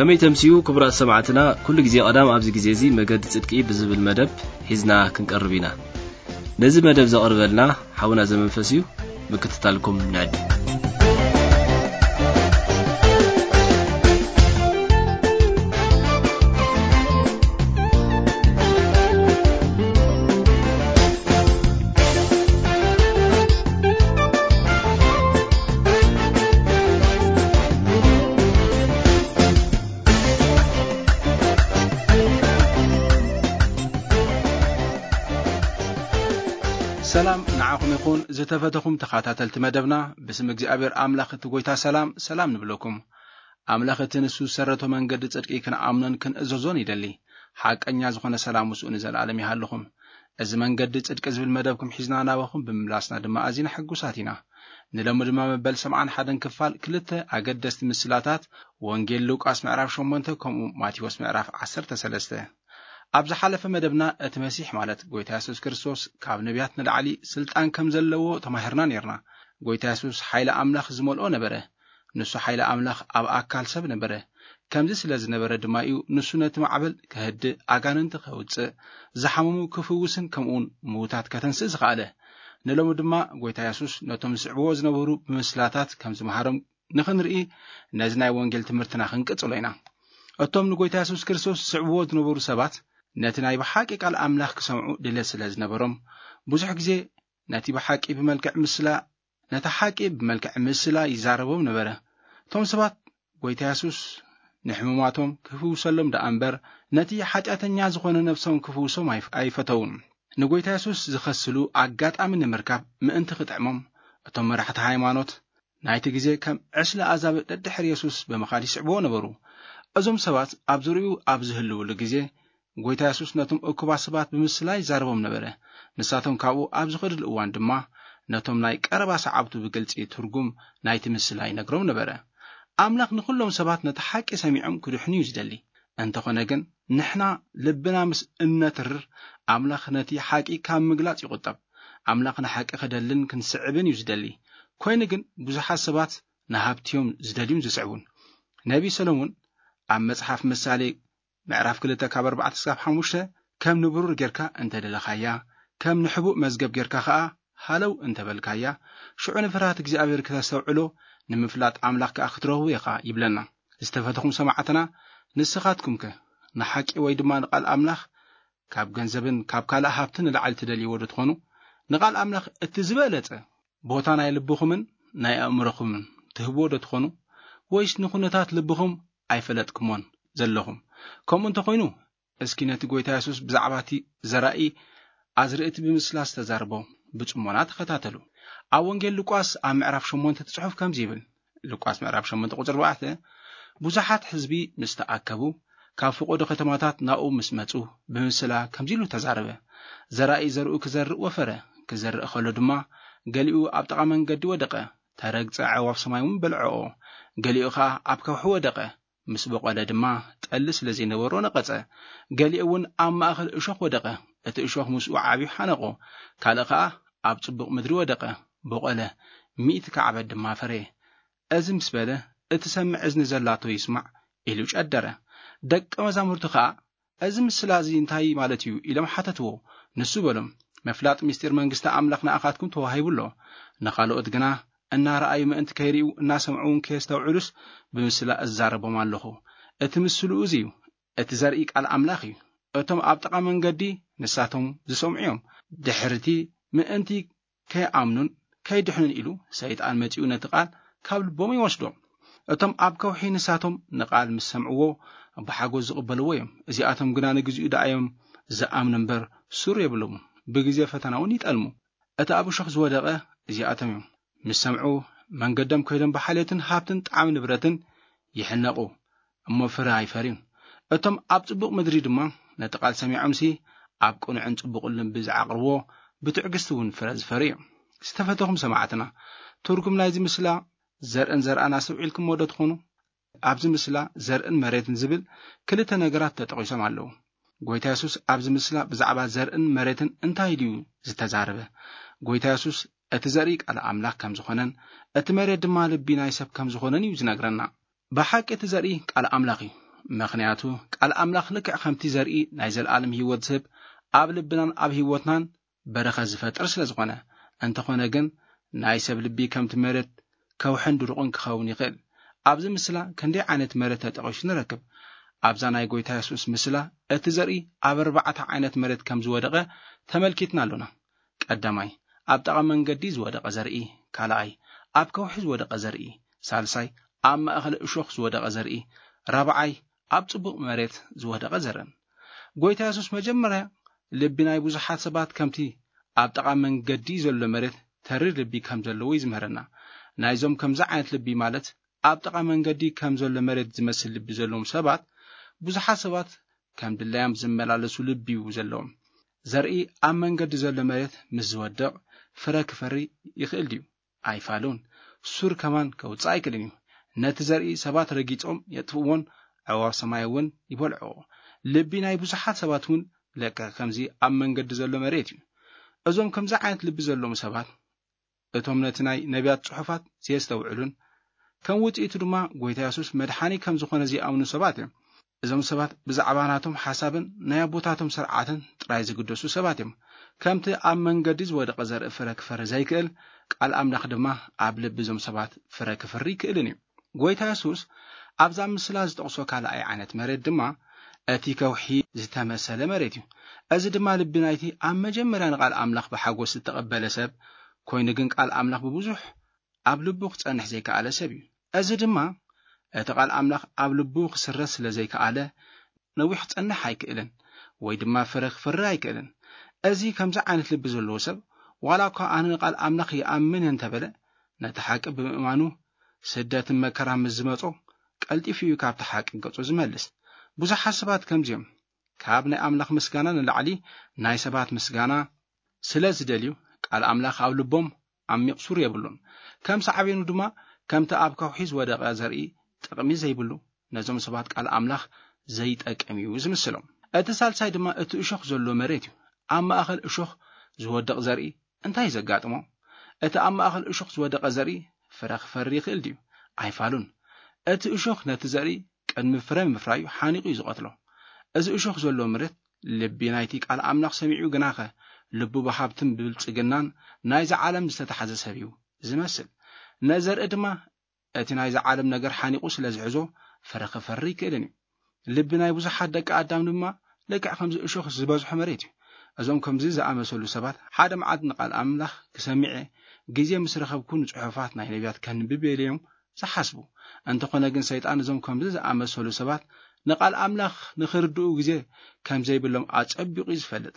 ከመይ ተምስዩ ክቡራት ሰማዕትና፣ ኩሉ ግዜ ቀዳም ኣብዚ ግዜ እዚ መገዲ ጽድቂ ብዝብል መደብ ሒዝና ክንቀርብ ኢና። ነዚ መደብ ዘቕርበልና ሓውና ዘመንፈስ እዩ። ምክትታልኩም ንዕድም። ሰላም ንዓኹም ይኹን ዝተፈተኹም ተኸታተልቲ መደብና። ብስም እግዚኣብሔር ኣምላኽ እቲ ጎይታ ሰላም ሰላም ንብለኩም። ኣምላኽ እቲ ንሱ ዝሰረቶ መንገዲ ጽድቂ ክንኣምኖን ክንእዘዞን ይደሊ። ሓቀኛ ዝኾነ ሰላም ምስኡ ንዘለኣለም ይሃልኹም። እዚ መንገዲ ጽድቂ ዝብል መደብኩም ሒዝና ናባኹም ብምምላስና ድማ ኣዚና ሕጉሳት ኢና። ንሎሚ ድማ መበል ሰብዓን ሓደን ክፋል ክልተ ኣገደስቲ ምስላታት ወንጌል ሉቃስ ምዕራፍ ሸሞንተ ከምኡ ማቴዎስ ምዕራፍ ዓሰርተ ሰለስተ። ኣብ ዝሓለፈ መደብና እቲ መሲሕ ማለት ጎይታ የሱስ ክርስቶስ ካብ ነቢያት ንላዕሊ ስልጣን ከም ዘለዎ ተማሂርና ነርና። ጎይታ የሱስ ሓይሊ ኣምላኽ ዝመልኦ ነበረ። ንሱ ሓይሊ ኣምላኽ ኣብ ኣካል ሰብ ነበረ። ከምዚ ስለ ዝነበረ ድማ እዩ ንሱ ነቲ ማዕበል ከህድእ፣ ኣጋንንቲ ከውጽእ፣ ዝሓመሙ ክፍውስን ከምኡውን ምዉታት ከተንስእ ዝኸኣለ። ንሎሚ ድማ ጎይታ የሱስ ነቶም ዝስዕብዎ ዝነበሩ ብምስላታት ከም ዝመሃሮም ንኽንርኢ ነዚ ናይ ወንጌል ትምህርትና ክንቅጽሎ ኢና። እቶም ንጎይታ የሱስ ክርስቶስ ዝስዕብዎ ዝነበሩ ሰባት ነቲ ናይ ብሓቂ ቃል ኣምላኽ ክሰምዑ ድሌት ስለ ዝነበሮም ብዙሕ ግዜ ነቲ ብሓቂ ብመልክዕ ምስላ ነቲ ሓቂ ብመልክዕ ምስላ ይዛረቦም ነበረ። እቶም ሰባት ጎይታ የሱስ ንሕሙማቶም ክፍውሰሎም ደኣ እምበር ነቲ ሓጢኣተኛ ዝኾነ ነብሶም ክፍውሶም ኣይፍ- ኣይፈተውን። ንጎይታ የሱስ ዝኸስሉ ኣጋጣሚ ንምርካብ ምእንቲ ክጥዕሞም እቶም መራሕቲ ሃይማኖት ናይቲ ግዜ ከም ዕስለ ኣዛብእ ደድሕሪ የሱስ ብምኻድ ይስዕብዎ ነበሩ። እዞም ሰባት ኣብ ዙርያኡ ኣብ ዝህልውሉ ግዜ ጎይታ የሱስ ነቶም እኩባት ሰባት ብምስላ ይዛረቦም ነበረ። ንሳቶም ካብኡ ኣብ ዝኸድሉ እዋን ድማ ነቶም ናይ ቀረባ ሰዓብቱ ብግልጺ ትርጉም ናይቲ ምስላ ይነግሮም ነበረ። ኣምላኽ ንኹሎም ሰባት ነቲ ሓቂ ሰሚዖም ክድሕኑ እዩ ዝደሊ። እንተኾነ ግን ንሕና ልብና ምስ እነትርር ኣምላኽ ነቲ ሓቂ ካብ ምግላጽ ይቑጠብ። ኣምላኽ ንሓቂ ክደልን ክንስዕብን እዩ ዝደሊ። ኮይኑ ግን ብዙሓት ሰባት ንሃብቲ እዮም ዝደልዩን ዝስዕቡን። ነቢ ሰሎሞን ኣብ መጽሓፍ ምሳሌ ምዕራፍ ክልተ ካብ ኣርባዕተ እስካብ ሓሙሽተ ከም ንብሩር ጌርካ እንተደለኻያ፣ ከም ንሕቡእ መዝገብ ጌርካ ኸኣ ሃለው እንተበልካያ፣ ሽዑ ንፍርሃት እግዚኣብሔር ክተስተውዕሎ፣ ንምፍላጥ ኣምላኽ ከኣ ክትረኽቦ ኢኻ ይብለና። ዝተፈተኹም ሰማዕትና፣ ንስኻትኩምከ ንሓቂ ወይ ድማ ንቓል ኣምላኽ ካብ ገንዘብን ካብ ካልእ ሃብትን ንላዕሊ ትደልይዎ ዶ ትኾኑ? ንቓል ኣምላኽ እቲ ዝበለጸ ቦታ ናይ ልብኹምን ናይ ኣእምሮኹምን ትህብዎ ዶ ትኾኑ? ወይስ ንኹነታት ልብኹም ኣይፈለጥኩሞን ዘለኹም? ከምኡ እንተኾይኑ፣ እስኪ ነቲ ጎይታ የሱስ ብዛዕባ እቲ ዘራኢ ኣዝርእቲ ብምስላ ዝተዛርቦ ብጽሞና ተኸታተሉ። ኣብ ወንጌል ሉቃስ ኣብ ምዕራፍ ሸሞንተ እቲ ጽሑፍ ከምዚ ይብል። ሉቃስ ምዕራፍ ሸሞንተ ቁጽሪ ኣርባዕተ፣ ብዙሓት ህዝቢ ምስ ተኣከቡ፣ ካብ ፈቐዶ ከተማታት ናብኡ ምስ መጹ፣ ብምስላ ከምዚ ኢሉ ተዛረበ። ዘራኢ ዘርኡ ክዘርእ ወፈረ። ክዘርእ ከሎ ድማ፣ ገሊኡ ኣብ ጥቓ መንገዲ ወደቐ። ተረግጸ፣ ኣዕዋፍ ሰማይ እውን በልዐኦ። ገሊኡ ኸኣ ኣብ ከውሒ ወደቐ። ምስ በቖለ ድማ፣ ጠሊ ስለ ዘይነበሮ ነቐጸ። ገሊኡ እውን ኣብ ማእከል እሾኽ ወደቐ። እቲ እሾኽ ምስኡ ዓብዩ ሓነቖ። ካልእ ኸኣ ኣብ ጽቡቕ ምድሪ ወደቐ። በቖለ፣ ሚእቲ ካዕበት ድማ ፈረየ። እዚ ምስ በለ፣ "እቲ ሰምዕ እዝኒ ዘላቶ ይስማዕ" ኢሉ ጨደረ። ደቀ መዛሙርቱ ኸኣ፣ "እዚ ምስላ እዚ እንታይ ማለት እዩ?" ኢሎም ሓተትዎ። ንሱ በሎም፣ "ምፍላጥ ምስጢር መንግስቲ ኣምላኽ ንኣኻትኩም ተዋሂቡ ኣሎ። ንኻልኦት ግና እናረኣዩ ምእንቲ ከይርእዩ፣ እናሰምዑ እውን ከየስተውዕሉስ ብምስላ እዛረቦም ኣለኹ። እቲ ምስሉ እዚ እዩ። እቲ ዘርኢ ቃል ኣምላኽ እዩ። እቶም ኣብ ጥቓ መንገዲ ንሳቶም ዝሰምዑ እዮም። ድሕርቲ ምእንቲ ከይኣምኑን ከይድሕኑን ኢሉ ሰይጣን መጺኡ ነቲ ቃል ካብ ልቦም ይወስዶ። እቶም ኣብ ከውሒ ንሳቶም ንቃል ምስ ሰምዕዎ ብሓጎስ ዝቕበልዎ እዮም። እዚኣቶም ግና ንግዚኡ ደኣ እዮም ዝኣምኑ እምበር ሱር የብሎምን። ብግዜ ፈተና እውን ይጠልሙ። እቲ ኣብ እሾኽ ዝወደቐ እዚኣቶም እዮም። ምስ ሰምዑ መንገዶም ከይዶም ብሓልዮትን ሃብትን ጣዕሚ ንብረትን ይሕነቑ፣ እሞ ፍረ ኣይፈርዩን። እቶም ኣብ ጽቡቕ ምድሪ ድማ ነቲ ቃል ሰሚዖምሲ ኣብ ቅኑዕን ጽቡቕን ልቢ ዝዓቕርዎ ብትዕግስቲ እውን ፍረ ዝፈርዩ እዮም። ዝተፈተኹም ሰማዕትና፣ ትርጉም ናይዚ ምስላ ዘርእን ዘርኣን ኣስተውዒልኩምዎ ዶ ትኾኑ? ኣብዚ ምስላ ዘርእን መሬትን ዝብል ክልተ ነገራት ተጠቒሶም ኣለዉ። ጎይታ የሱስ ኣብዚ ምስላ ብዛዕባ ዘርእን መሬትን እንታይ ድዩ ዝተዛረበ? ጎይታ የሱስ እቲ ዘርኢ ቃል ኣምላኽ ከም ዝኾነን እቲ መሬት ድማ ልቢ ናይ ሰብ ከም ዝኾነን እዩ ዝነግረና። ብሓቂ እቲ ዘርኢ ቃል ኣምላኽ እዩ። ምኽንያቱ ቃል ኣምላኽ ልክዕ ከምቲ ዘርኢ ናይ ዘለኣለም ህይወት ዝህብ ኣብ ልብናን ኣብ ህይወትናን በረኸት ዝፈጥር ስለ ዝኾነ። እንተኾነ ግን ናይ ሰብ ልቢ ከምቲ መሬት ከውሕን ድሩቕን ክኸውን ይኽእል። ኣብዚ ምስላ ክንደይ ዓይነት መሬት ተጠቒሱ ንረክብ። ኣብዛ ናይ ጎይታ የሱስ ምስላ እቲ ዘርኢ ኣብ ኣርባዕተ ዓይነት መሬት ከም ዝወደቐ ተመልኪትና ኣሎና። ቀዳማይ፣ ኣብ ጠቓ መንገዲ ዝወደቐ ዘርኢ፣ ካልኣይ፣ ኣብ ከውሒ ዝወደቐ ዘርኢ፣ ሳልሳይ፣ ኣብ ማእኸል እሾኽ ዝወደቐ ዘርኢ፣ ራብዓይ፣ ኣብ ጽቡቕ መሬት ዝወደቐ ዘርእን። ጎይታ የሱስ መጀመርያ ልቢ ናይ ብዙሓት ሰባት ከምቲ ኣብ ጠቓ መንገዲ ዘሎ መሬት ተሪር ልቢ ከም ዘለዎ እዩ ዝምህረና። ናይዞም ከምዚ ዓይነት ልቢ ማለት ኣብ ጠቓ መንገዲ ከም ዘሎ መሬት ዝመስል ልቢ ዘለዎም ሰባት ብዙሓት ሰባት ከም ድላዮም ዝመላለሱ ልቢ እዩ ዘለዎም። ዘርኢ ኣብ መንገዲ ዘሎ መሬት ምስ ዝወድቕ ፍረ ክፈሪ ይኽእል ድዩ? ኣይፋሉን። ሱር ከማን ከውፅእ ኣይክእልን እዩ። ነቲ ዘርኢ ሰባት ረጊጾም የጥፍእዎን ኣዕዋፍ ሰማይ እውን ይበልዕዎ። ልቢ ናይ ብዙሓት ሰባት እውን ልክዕ ከምዚ ኣብ መንገዲ ዘሎ መሬት እዩ። እዞም ከምዚ ዓይነት ልቢ ዘለዎም ሰባት እቶም ነቲ ናይ ነቢያት ጽሑፋት ዘየስተውዕሉን ከም ውጽኢቱ ድማ ጎይታ የሱስ መድሓኒ ከም ዝኾነ ዘይኣምኑ ሰባት እዮም። እዞም ሰባት ብዛዕባ ናቶም ሓሳብን ናይ ኣቦታቶም ስርዓትን ጥራይ ዝግደሱ ሰባት እዮም። ከምቲ ኣብ መንገዲ ዝወደቐ ዘርኢ ፍረ ክፈሪ ዘይክእል፣ ቃል ኣምላኽ ድማ ኣብ ልቢ እዞም ሰባት ፍረ ክፈሪ ይክእልን እዩ። ጎይታ የሱስ ኣብዛ ምስላ ዝጠቕሶ ካልኣይ ዓይነት መሬት ድማ እቲ ከውሒ ዝተመሰለ መሬት እዩ። እዚ ድማ ልቢ ናይቲ ኣብ መጀመርያ ንቃል ኣምላኽ ብሓጎስ ዝተቐበለ ሰብ ኮይኑ ግን ቃል ኣምላኽ ብብዙሕ ኣብ ልቡ ክጸንሕ ዘይከኣለ ሰብ እዩ። እዚ ድማ እቲ ቃል ኣምላኽ ኣብ ልቡ ክስረጽ ስለ ዘይከኣለ ነዊሕ ክጸንሕ ኣይክእልን ወይ ድማ ፍረ ክፈሪ ኣይክእልን። እዚ ከምዚ ዓይነት ልቢ ዘለዎ ሰብ ዋላ እኳ ኣነ ንቃል ኣምላኽ ይኣምን እንተበለ ነቲ ሓቂ ብምእማኑ ስደትን መከራ ምስ ዝመጾ ቀልጢፉ እዩ ካብቲ ሓቂ ገጹ ዝመልስ። ብዙሓት ሰባት ከምዚኦም ካብ ናይ ኣምላኽ ምስጋና ንላዕሊ ናይ ሰባት ምስጋና ስለ ዝደልዩ ቃል ኣምላኽ ኣብ ልቦም ዓሚቕ ሱር የብሉን። ከም ሳዕቤኑ ድማ ከምቲ ኣብ ከውሒ ዝወደቐ ዘርኢ ጥቕሚ ዘይብሉ ነዞም ሰባት ቃል ኣምላኽ ዘይጠቅም እዩ ዝምስሎም። እቲ ሳልሳይ ድማ እቲ እሾኽ ዘሎ መሬት እዩ። ኣብ ማእኸል እሾኽ ዝወድቕ ዘርኢ እንታይ እዩ ዘጋጥሞ? እቲ ኣብ ማእኸል እሾኽ ዝወደቐ ዘርኢ ፍረ ክፈሪ ይኽእል ድዩ? ኣይፋሉን። እቲ እሾኽ ነቲ ዘርኢ ቅድሚ ፍረ ምፍራዩ ሓኒቑ እዩ ዝቐትሎ። እዚ እሾኽ ዘሎ መሬት ልቢ ናይቲ ቃል ኣምላኽ ሰሚዑ ግናኸ ልቡ ብሃብትን ብብልጽግናን ናይዚ ዓለም ዝተታሕዘ ሰብ እዩ ዝመስል። ነዘርኢ ድማ እቲ ናይዚ ዓለም ነገር ሓኒቑ ስለ ዝሕዞ ፍረ ክፈሪ ይክእልን እዩ። ልቢ ናይ ብዙሓት ደቂ ኣዳም ድማ ልክዕ ከምዚ እሾኽ ዝበዝሖ መሬት እዩ። እዞም ከምዚ ዝኣመሰሉ ሰባት ሓደ መዓልቲ ንቃል ኣምላኽ ክሰሚዐ ግዜ ምስ ረኸብኩ ንጽሑፋት ናይ ነቢያት ከንብብ እዮም ዝሓስቡ። እንተኾነ ግን ሰይጣን እዞም ከምዚ ዝኣመሰሉ ሰባት ንቃል ኣምላኽ ንኽርድኡ ግዜ ከም ዘይብሎም ኣጸቢቑ እዩ ዝፈልጥ።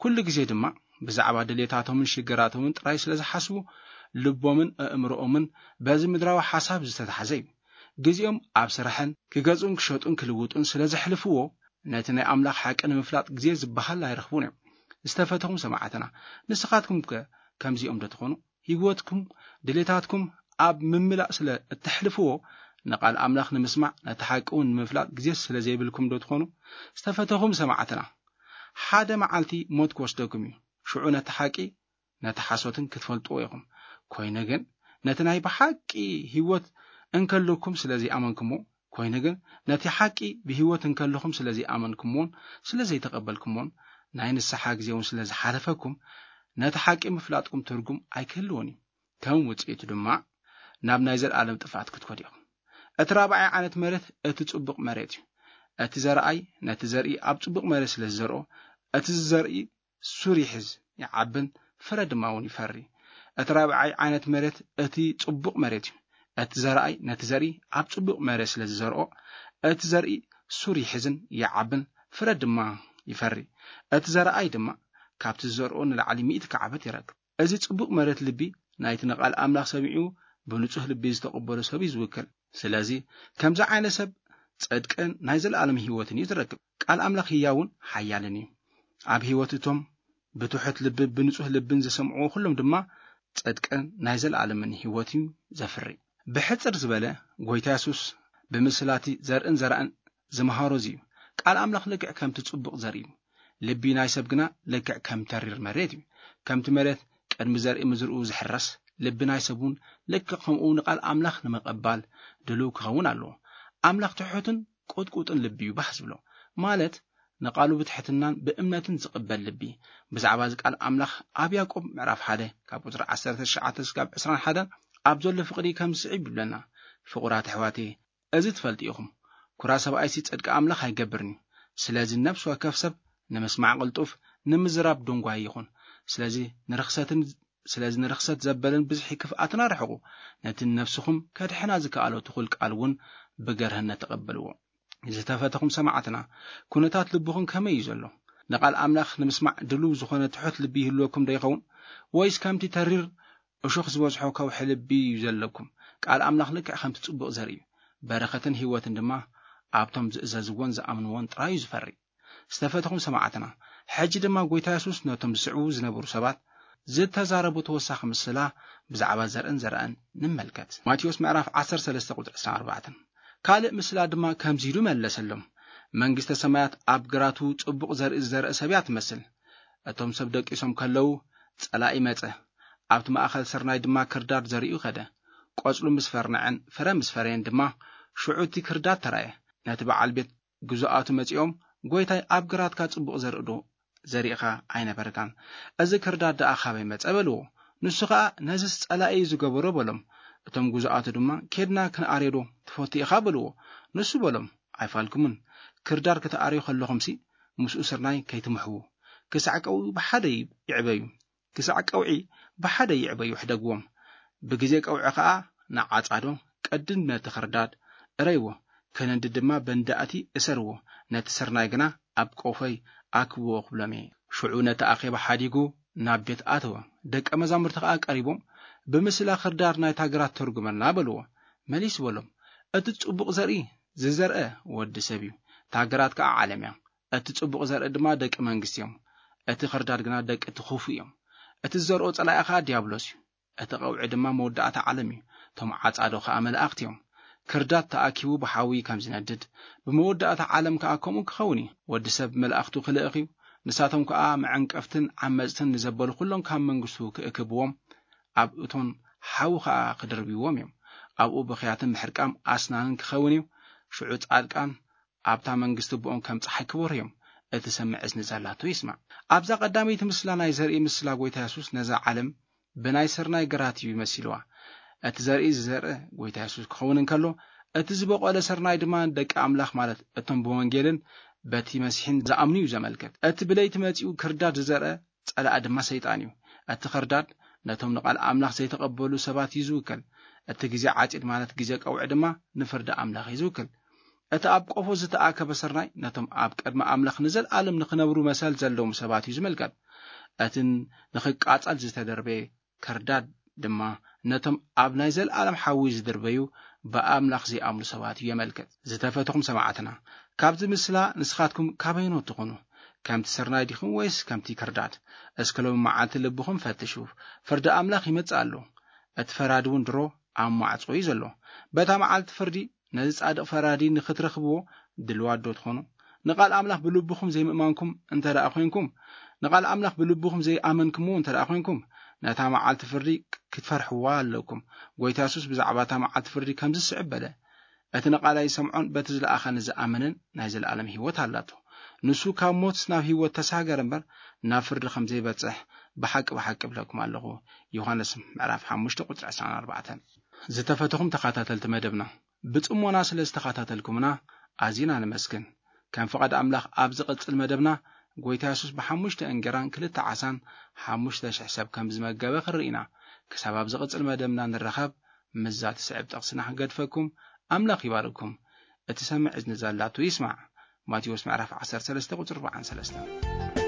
ኩሉ ግዜ ድማ ብዛዕባ ድሌታቶምን ሽግራቶምን ጥራይ ስለ ዝሓስቡ ልቦምን ኣእምሮኦምን በዚ ምድራዊ ሓሳብ ዝተታሕዘ እዩ። ግዜኦም ኣብ ስራሕን ክገዝኡን ክሸጡን ክልውጡን ስለ ዘሕልፍዎ ነቲ ናይ ኣምላኽ ሓቂ ንምፍላጥ ግዜ ዝበሃል ኣይረኽቡን እዮም። ዝተፈተኹም ሰማዕትና ንስኻትኩም ከ ከምዚኦም ዶ ትኾኑ? ህይወትኩም ድሌታትኩም ኣብ ምምላእ ስለ እተሕልፍዎ ንቃል ኣምላኽ ንምስማዕ ነቲ ሓቂ እውን ንምፍላጥ ግዜ ስለ ዘይብልኩም ዶ ትኾኑ? ዝተፈተኹም ሰማዕትና ሓደ መዓልቲ ሞት ክወስደኩም እዩ። ሽዑ ነቲ ሓቂ ነቲ ሓሶትን ክትፈልጥዎ ኢኹም። ኮይኑ ግን ነቲ ናይ ብሓቂ ህይወት እንከለኩም ስለ ዘይኣመንኩሞ ኮይኑ ግን ነቲ ሓቂ ብህይወት እንከለኹም ስለ ዘይኣመንኩምዎን ስለ ዘይተቐበልኩምዎን ናይ ንስሓ ግዜ እውን ስለ ዝሓለፈኩም ነቲ ሓቂ ምፍላጥኩም ትርጉም ኣይክህልዎን እዩ። ከም ውፅኢቱ ድማ ናብ ናይ ዘለኣለም ጥፍኣት ክትኮድ ኢኹም። እቲ ራብዓይ ዓይነት መሬት እቲ ጽቡቕ መሬት እዩ። እቲ ዘርኣይ ነቲ ዘርኢ ኣብ ጽቡቕ መሬት ስለ ዝዘርኦ እቲ ዝዘርኢ ሱር ይሕዝ ይዓብን ፍረ ድማ እውን ይፈሪ። እቲ ራብዓይ ዓይነት መሬት እቲ ጽቡቕ መሬት እዩ። እቲ ዘርኣይ ነቲ ዘርኢ ኣብ ጽቡቕ መሬት ስለ ዝዘርኦ እቲ ዘርኢ ሱር ይሕዝን ይዓብን ፍረ ድማ ይፈሪ። እቲ ዘርኣይ ድማ ካብቲ ዝዘርኦ ንላዕሊ ሚእቲ ክዓበት ይረክብ። እዚ ጽቡቕ መሬት ልቢ ናይቲ ንቓል ኣምላኽ ሰሚዑ ብንጹህ ልቢ ዝተቐበሎ ሰብ እዩ ዝውክል። ስለዚ ከምዚ ዓይነት ሰብ ጽድቅን ናይ ዘለኣለም ህይወትን እዩ ዝረክብ። ቃል ኣምላኽ ህያውን ሓያልን እዩ። ኣብ ህይወት እቶም ብትሑት ልቢ ብንጹህ ልብን ዝሰምዕዎ ኩሎም ድማ ጽድቅን ናይ ዘለኣለምን ህይወት እዩ ዘፍሪ። ብሕጽር ዝበለ ጎይታ የሱስ ብምስላቲ ዘርእን ዘራእን ዝመሃሮ እዚ እዩ። ቃል ኣምላኽ ልክዕ ከምቲ ጽቡቕ ዘርኢ እዩ። ልቢ ናይ ሰብ ግና ልክዕ ከም ተሪር መሬት እዩ። ከምቲ መሬት ቅድሚ ዘርኢ ምዝርኡ ዝሕረስ ልቢ ናይ ሰብ እውን ልክዕ ከምኡ ንቃል ኣምላኽ ንምቕባል ድልው ክኸውን ኣለዎ። ኣምላኽ ትሑትን ቁጥቁጥን ልቢ እዩ ባህ ዝብሎ። ማለት ንቃሉ ብትሕትናን ብእምነትን ዝቕበል ልቢ። ብዛዕባ እዚ ቃል ኣምላኽ ኣብ ያዕቆብ ምዕራፍ ሓደ ካብ ቁጽሪ ዓሰርተ ትሽዓተ እስካብ ዕስራን ሓደን ኣብ ዘሎ ፍቕሪ ከም ዝስዕብ ይብለና። ፍቑራት ኣሕዋተየ፣ እዚ ትፈልጡ ኢኹም። ኩራ ሰብኣይሲ ጽድቂ ኣምላኽ ኣይገብርን እዩ። ስለዚ ነፍሲ ወከፍ ሰብ ንምስማዕ ቅልጡፍ፣ ንምዝራብ ድንጓይ ይኹን። ስለዚ ንርኽሰትን ስለዚ ንርኽሰት ዘበልን ብዝሒ ክፍኣትን ኣርሕቑ። ነቲ ንነፍስኹም ከድሕና ዝከኣሎ ትኹል ቃል እውን ብገርህነት ተቐበልዎ። ዝተፈተኹም ሰማዕትና፣ ኩነታት ልብኹም ከመይ እዩ ዘሎ? ንቓል ኣምላኽ ንምስማዕ ድሉው ዝኾነ ትሑት ልቢ ይህልወኩም ዶ ይኸውን? ወይስ ከምቲ ተሪር እሾኽ ዝበዝሖ ከውሒ ልቢ እዩ ዘለኩም? ቃል ኣምላኽ ልክዕ ከምቲ ጽቡቕ ዘርኢ እዩ። በረኸትን ህይወትን ድማ ኣብቶም ዝእዘዝዎን ዝኣምንዎን ጥራይ እዩ ዝፈሪ። ዝተፈተኹም ሰማዕትና፣ ሕጂ ድማ ጎይታ የሱስ ነቶም ዝስዕቡ ዝነበሩ ሰባት ዝተዛረቡ ተወሳኺ ምስላ ብዛዕባ ዘርእን ዘርእን ንመልከት። ማቴዎስ ምዕራፍ ዓሰርተ ሰለስተ ቁጽሪ ዕስራን ኣርባዕተን። ካልእ ምስላ ድማ ከምዚ ኢሉ መለሰሎም፣ መንግስተ ሰማያት ኣብ ግራቱ ጽቡቕ ዘርኢ ዝዘርአ ሰብ እያ ትመስል። እቶም ሰብ ደቂሶም ከለዉ ጸላኢ መጸ፣ ኣብቲ ማእከል ስርናይ ድማ ክርዳድ ዘሪኡ ከደ። ቆጽሉ ምስ ፈርነዐን ፍረ ምስ ፈረየን ድማ ሽዑ እቲ ክርዳድ ተራየ። ነቲ በዓል ቤት ግዙኣቱ መጺኦም፣ "ጎይታይ፣ ኣብ ግራትካ ጽቡቕ ዘርኢ ዶ ዘሪእኻ ኣይነበርካን? እዚ ክርዳድ ደኣ ካበይ መጸ?" በልዎ። ንሱ ኸኣ፣ "ነዝስ ጸላኢ እዩ ዝገበሮ" በሎም። እቶም ግዙኣቱ ድማ፣ "ኬድና ክንኣርዮ ዶ ትፈቱ ኢኻ?" በልዎ። ንሱ በሎም፣ "ኣይፋልኩምን። ክርዳድ ክትኣርዩ ከለኹምሲ፣ ምስኡ ስርናይ ከይትምሕዉ፣ ክሳዕ ቀውዒ ብሓደ ይዕበዩ። ክሳዕ ቀውዒ ብሓደ ይዕበዩ፣ ሕደግዎም። ብግዜ ቀውዒ ኸኣ ንዓጻዶ ቀድድ ነቲ ኽርዳድ እረይዎ፣ ከነንዲ ድማ በንዳእቲ እሰርዎ፣ ነቲ ስርናይ ግና ኣብ ቆፎይ ኣክብዎ ክብሎም እየ። ሽዑ ነቲ ኣኼባ ሓዲጉ ናብ ቤት ኣተወ። ደቀ መዛሙርቲ ኸኣ ቀሪቦም፣ ብምስላ ኽርዳድ ናይታ ግራት ተርጉመልና በልዎ። መሊሱ በሎም፣ እቲ ጽቡቕ ዘርኢ ዝዘርአ ወዲ ሰብ እዩ። እታ ግራት ከኣ ዓለም እያ። እቲ ጽቡቕ ዘርኢ ድማ ደቂ መንግስቲ እዮም። እቲ ኽርዳድ ግና ደቂ እቲ ኽፉእ እዮም። እቲ ዝዘርኦ ጸላኢ ኸኣ ዲያብሎስ እዩ። እቲ ቀውዒ ድማ መወዳእታ ዓለም እዩ። እቶም ዓጻዶ ኸኣ መላእኽቲ እዮም። ክርዳድ ተኣኪቡ ብሓዊ ከም ዝነድድ፣ ብመወዳእታ ዓለም ከኣ ከምኡ ክኸውን እዩ። ወዲ ሰብ መላእኽቱ ክልእኽ እዩ። ንሳቶም ከኣ መዐንቀፍትን ዓመጽትን ንዘበሉ ኩሎም ካብ መንግስቱ ክእክብዎም፣ ኣብ እቶን ሓዊ ኸኣ ክድርብይዎም እዮም። ኣብኡ ብኽያትን ምሕርቃም ኣስናንን ክኸውን እዩ። ሽዑ ጻድቃን ኣብታ መንግስቲ ብኦም ከም ጸሓይ ክበርሁ እዮም። እቲ ሰምዕ እዝኒ ዘላቶ ይስማዕ። ኣብዛ ቀዳመይቲ ምስላ ናይ ዘርኢ ምስላ ጎይታ የሱስ ነዛ ዓለም ብናይ ስርናይ ግራት እዩ መሲልዋ። እቲ ዘርኢ ዝዘርእ ጎይታ የሱስ ክኸውን እንከሎ፣ እቲ ዝበቖለ ስርናይ ድማ ደቂ ኣምላኽ ማለት እቶም ብወንጌልን በቲ መሲሕን ዝኣምኑ እዩ ዘመልክት። እቲ ብለይቲ መጺኡ ክርዳድ ዝዘርአ ጸላኢ ድማ ሰይጣን እዩ። እቲ ኽርዳድ ነቶም ንቓል ኣምላኽ ዘይተቐበሉ ሰባት እዩ ዝውክል። እቲ ግዜ ዓጺድ ማለት ግዜ ቀውዒ ድማ ንፍርዲ ኣምላኽ እዩ ዝውክል። እቲ ኣብ ቆፎ ዝተኣከበ ስርናይ ነቶም ኣብ ቅድሚ ኣምላኽ ንዘለኣለም ንኽነብሩ መሰል ዘለዎም ሰባት እዩ ዝምልከት። እቲ ንኽቃጸል ዝተደርበየ ክርዳድ ድማ ነቶም ኣብ ናይ ዘለኣለም ሓዊ ዝድርበዩ ብኣምላኽ ዘይኣምኑ ሰባት እዩ የመልክት። ዝተፈትኹም ሰማዕትና፣ ካብዚ ምስላ ንስኻትኩም ካበይኖት ትኾኑ? ከምቲ ስርናይ ዲኹም ወይስ ከምቲ ክርዳድ? እስከ ሎሚ መዓልቲ ልብኹም ፈትሹ። ፍርዲ ኣምላኽ ይመጽእ ኣሎ። እቲ ፈራዲ እውን ድሮ ኣብ ማዕጾ እዩ ዘሎ። በታ መዓልቲ ፍርዲ ነዚ ጻድቕ ፈራዲ ንኽትረኽብዎ ድልዋት ዶ ትኾኑ? ንቓል ኣምላኽ ብልብኹም ዘይምእማንኩም እንተ ደኣ ኾይንኩም፣ ንቓል ኣምላኽ ብልብኹም ዘይኣመንኩምዎ እንተ ደኣ ኾይንኩም፣ ነታ መዓልቲ ፍርዲ ክትፈርሕዋ ኣለኩም። ጎይታ የሱስ ብዛዕባ እታ መዓልቲ ፍርዲ ከምዚ ዝስዕብ በለ፣ "እቲ ንቓላይ ዝሰምዖን በቲ ዝለኣኸኒ ዝኣመንን ናይ ዘለኣለም ህይወት ኣላቶ። ንሱ ካብ ሞት ናብ ህይወት ተሳገረ እምበር፣ ናብ ፍርዲ ከም ዘይበጽሕ ብሓቂ ብሓቂ እብለኩም ኣለኹ።" ዮሃንስ ምዕራፍ ሓሙሽተ ቁጽሪ ዕስራን ኣርባዕተን። ዝተፈተኹም ተኸታተልቲ መደብና፣ ብጽሞና ስለ ዝተኸታተልኩምና ኣዚና ነመስግን። ከም ፍቓድ ኣምላኽ ኣብ ዝቕጽል መደብና፣ ጎይታ የሱስ ብሓሙሽተ እንጌራን ክልተ ዓሳን ሓሙሽተ ሽሕ ሰብ ከም ዝመገበ ክንርኢ ኢና። ክሳብ ኣብ ዝቕጽል መደብና ንራኸብ፣ ምስዛ ትስዕብ ጥቕስና ክገድፈኩም፣ ኣምላኽ ይባርኩም። እቲ ሰምዕ እዝኒ ዘላቱ ይስማዕ። ማቴዎስ ምዕራፍ ዓሰርተ ሰለስተ ቁጽሪ ኣርባዓን ሰለስተን።